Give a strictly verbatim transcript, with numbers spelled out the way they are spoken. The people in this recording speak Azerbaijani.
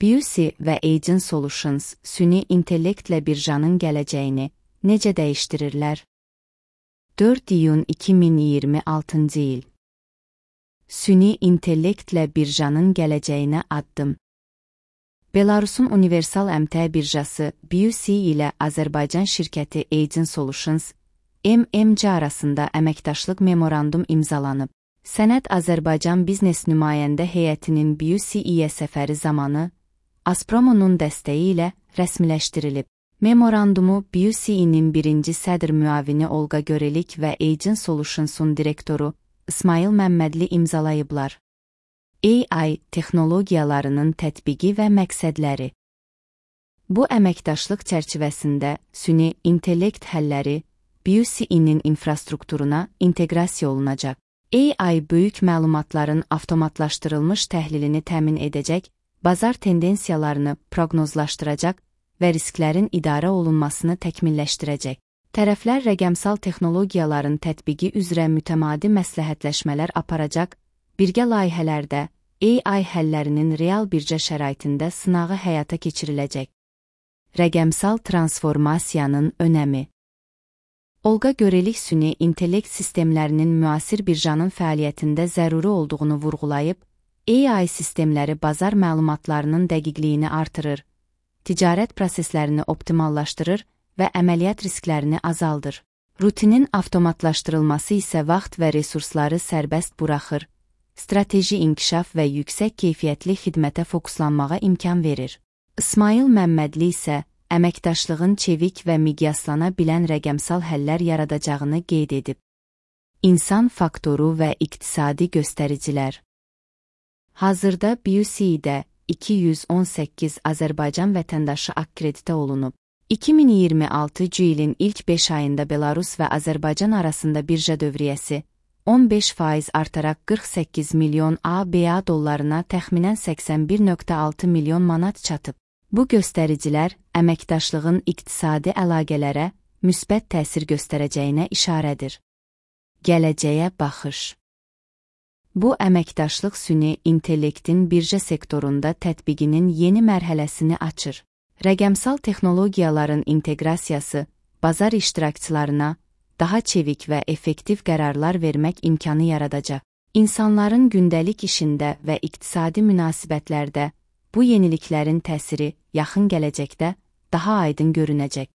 B U C və Agent Solutions süni intellektlə birjanın gələcəyini necə dəyişdirirlər? dörd iyun iki min iyirmi altıncı il. Süni intellektlə birjanın gələcəyinə addım. Belarusun Universal Əmtəə birjası B U C ilə Azərbaycan şirkəti Agent Solutions M M C arasında əməkdaşlıq memorandum imzalanıb. Sənəd Azərbaycan biznes nümayəndə heyətinin B U C-yə səfəri zamanı Azpromo-nun dəstəyi ilə rəsmiləşdirilib. Memorandumu B U C-nin birinci sədr müavini Olqa Görelik və Agent Solutions-un direktoru İsmail Məmmədli imzalayıblar. A I texnologiyalarının tətbiqi və məqsədləri. Bu əməkdaşlıq çərçivəsində süni intellekt həlləri B U C-nin infrastrukturuna inteqrasiya olunacaq. A I böyük məlumatların avtomatlaşdırılmış təhlilini təmin edəcək, bazar tendensiyalarını proqnozlaşdıracaq və risklərin idarə olunmasını təkmilləşdirəcək. Tərəflər rəqəmsal texnologiyaların tətbiqi üzrə mütəmadi məsləhətləşmələr aparacaq, birgə layihələrdə A I həllərinin real bircə şəraitində sınağı həyata keçiriləcək. Rəqəmsal transformasiyanın önəmi. Olqa Görelik süni intellekt sistemlərinin müasir birjanın fəaliyyətində zəruri olduğunu vurğulayıb, A I sistemləri bazar məlumatlarının dəqiqliyini artırır, ticarət proseslərini optimallaşdırır və əməliyyat risklərini azaldır. Rutinin avtomatlaşdırılması isə vaxt və resursları sərbəst buraxır, strateji inkişaf və yüksək keyfiyyətli xidmətə fokuslanmağa imkan verir. İsmail Məmmədli isə əməkdaşlığın çevik və miqyaslana bilən rəqəmsal həllər yaradacağını qeyd edib. İnsan faktoru və iqtisadi göstəricilər. Hazırda B U C-də iki yüz on səkkiz Azərbaycan vətəndaşı akkreditə olunub. iki min iyirmi altıncı ilin ilk beş ayında Belarus və Azərbaycan arasında birja dövriyyəsi on beş faiz artaraq qırx səkkiz milyon A B A dollarına təxminən səksən bir nöqtə altı milyon manat çatıb. Bu göstəricilər əməkdaşlığın iqtisadi əlaqələrə müsbət təsir göstərəcəyinə işarədir. Gələcəyə baxış. Bu əməkdaşlıq süni intellektin birja sektorunda tətbiqinin yeni mərhələsini açır. Rəqəmsal texnologiyaların inteqrasiyası bazar iştirakçılarına daha çevik və effektiv qərarlar vermək imkanı yaradacaq. İnsanların gündəlik işində və iqtisadi münasibətlərdə bu yeniliklərin təsiri yaxın gələcəkdə daha aydın görünəcək.